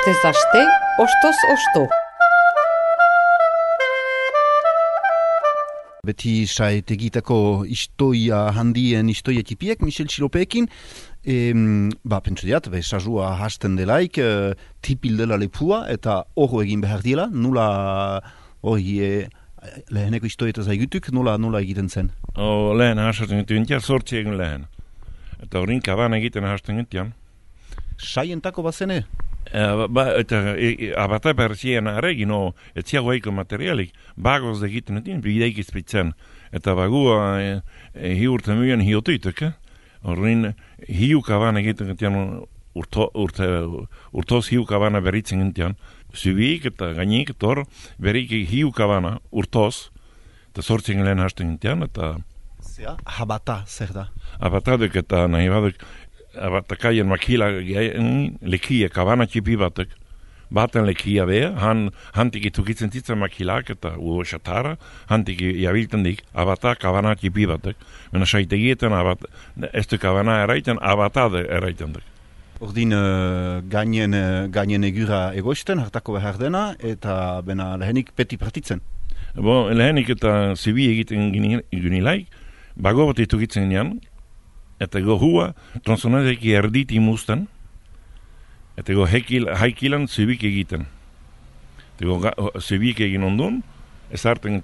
Astez aste, ostoz osto. Beti saetegitako istoia handien istoia tipiek, Michel Txilopeekin, pentsu diat, sazua hasten delaik, tipil dela lepua, eta horro egin behar dila, nula hori leheneko istoietaz aigutuk, nula egiten zen? Lehen hasten gutian, sortzi egin lehen. Eta horin kaban egiten hasten gutian. Saientako bazene? Eta abata berzien aregin, etziago eiko materialik, bagoz egiten gutian, bideik izpitzen. Eta bagua hiurten muen hiotuitek, horin hiu kaban egiten gutian, urtoz hiu kabana beritzen gutian, zubik eta gainik, tor, berik hiu kabana, urtoz, eta sortzen lehen hasten gutian, eta... Zea, habata, zer da? Abatadek eta nahi badek, abatakaien makila lekia, kabana txipi baten lekia beha, hantik itukitzen zitzen makilak eta udo xatara, hantik jabilten dik, abata kabana txipi batek. Mena saitegietan, ez du kabana eraiten, abatade eraiten dek. Ordin gainen egura egoisten, hartako behar dena, eta bena lehenik peti partitzen. Lehenik eta zibi egiten gunilaik, bago bat itukitzen nian, eta hua tronsonadek erdit imusten, eta haikilan zibik egiten. Eta zibik egin ondun, ez harten,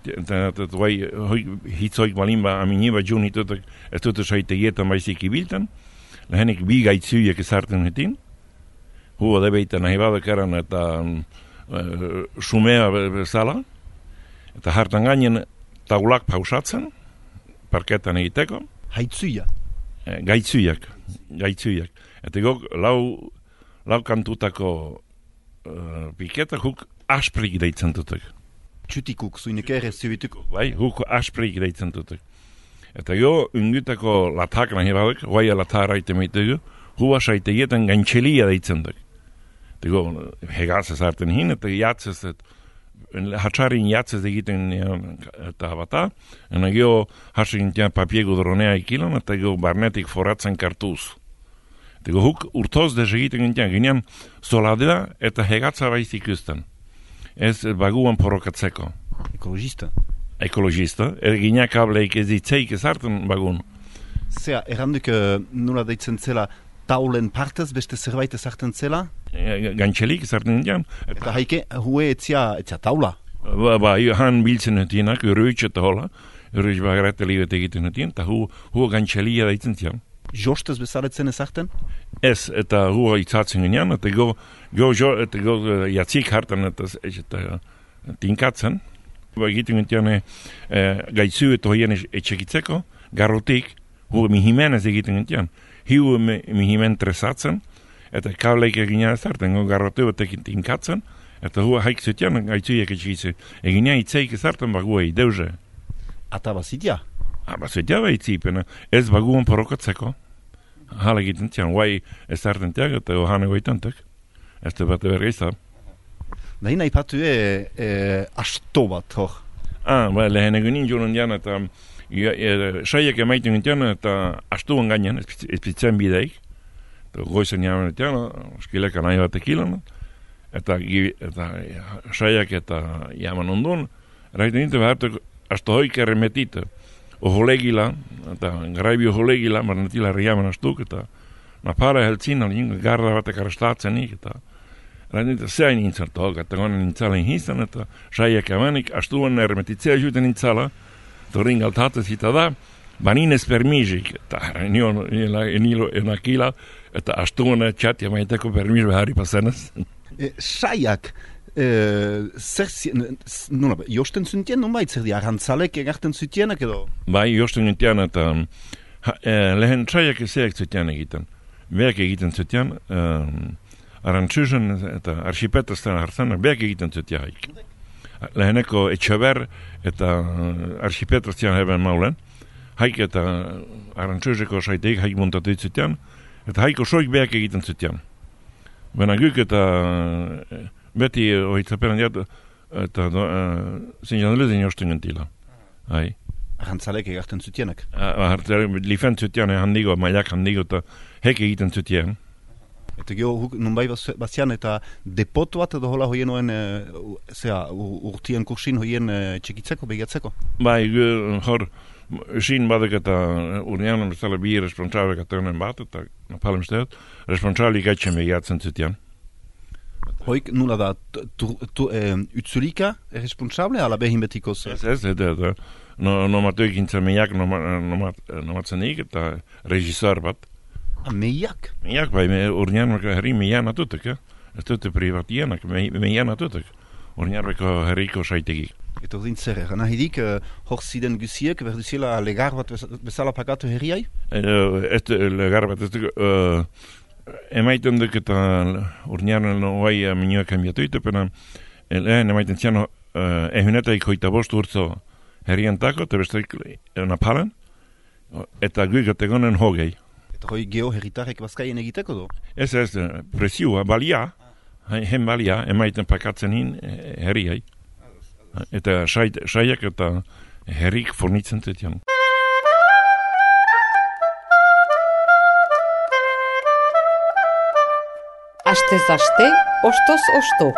hitzoik balimba aminiba jun hitutek, ez dute saitegietan baizik ibilten, lehenik bi gaitzuiek ez harten hitin, hua debeitan nahi badakaran eta sumea bezala, eta hartan gainen taulak pausatzen, parketan egiteko. Haitzuia? Gaitzuiak. Eta lau kantutako piketak huk asprik deitzen dutek. Txutikuk, zuinek ere zubituko. Bai, huk asprik deitzen dutek. Eta ungutako latak nahi badek, guaia latar aite meitegu, hua saitegietan gantxelia deitzen duk. Eta hegaz ez harten hin, eta jatzez, hatxarin jatzez egiten eta bata, ena hasin papiegu dronea ikilan, eta barnetik foratzen kartuz. Eta huk urtoz dez egiten ginean soladea eta hegatza baiz ikusten. Ez baguan porokatzeko. Ekologista, ginean kableik ez ditzeik ez harten bagun. Zea, erranduk nula deitzen zela taulen partez, beste zerbait ez harten zela? Gantxelik ez harten ginean. Eta haike, hue etzia taula? Han biltzen etienak, urruitz eta hola, urruitz bagarete libet egiten etien, eta hua gantxelia deitzen zian. Jostez bezaletzen ez harten? Ez, eta hua itzatzen ginean, eta jatzik hartan eta tinkatzen. Egiten gentian gaitzu eta hoien etxekitzeko, garrotik, hua mihimenez egiten gentian. Hiu mihimen tresatzen, eta kableik eginean ez harten, garrotu batekin tinkatzen, eta hua haik zutian gaitzuiek etxekitze. Eginean itzeik ez harten baguei, deuze. Ata bazitia? Bazitia baitzipen, ez baguan porokatzeko. Hala egiten zian, guai ez harten tiag, eta hane goitantek. Ez da bat bergeizta. Nahi nahi patu asto bat, hor? Lehen egunin joan dian, eta saiak emaiten gintian, eta astuan gainen, ezpitzen bideik. Goizen jaman etian, skileka nahi bat ekilan, eta saiak eta jaman ondun, eraiten gintu behartu asto hoik erremetite. Oholegila, eta garaibi oholegila, marnetila riaman astuk, eta napara heltzin, garra batek arrestatzen eta zein nintzen tog, eta gonen nintzalen hintzen, eta saiak amanik, astuan ermetitzea juten nintzala, eta ringaltatez hita da, baninez permizik, eta nilo enakila, eta astuan txat jamaiteko permiz behari pasenez. Saiak, josten zutien, nonbait, zer di, arrantzalek egarten zutienak edo? Bai, josten zutien, eta lehen saiak ezeak zutien egiten. Beak egiten zutien, arantzuzen eta arxipetazten hartzenak, beak egiten zutien haik. Leheneko etxeber eta arxipetazten heben maulen, haik eta arantzuzeko saiteik haik montatu zutien, eta haiko soik beak egiten zutien. Bena guk eta beti oitzaperan diat, eta zinjan lezen josten gentila. Arrantzalek egarten zutienak? Lifen zutien handigo, mailak handigo, eta hek egiten zutien. Eta geho, nunbai bazian eta depot bat edo hola hoien oen, urtien kursin hoien txekitzeko, begiatzeko? Bai, hor, sin badek eta urnean bezala bi responsabek ateunen bat, eta napalem steat, responsabli gaitxen begiatzen zutian. Hoik nula da, utzulika responsable, ala behin betikoz? Ez, nomatuik intzen meiak nomatzenik, eta regisseur bat. Meiak? Meiak, bai, urnean herri meian atutek, ez dute privatienak, meian atutek. Urnean herriko saitegik. Eta ordin zer, nahi dik, hor ziden guziek, berduziela legar bat bezala pakatu herriai? Ez legar bat, emaiten duk eta urnean noai minuak enbiatu itepena, lehen emaiten zian ehunetaik hoita bost urtzo herriantako, eta besteik napalen, eta guik egonen hogei. Eta hoi geho herritarek bazkaien egiteko do? Ez, presioa, balia, hen balia, emaiten pakatzen hin herriai. Eta saiak eta herrik fornitzen zetian. Astez aste, ostoz osto.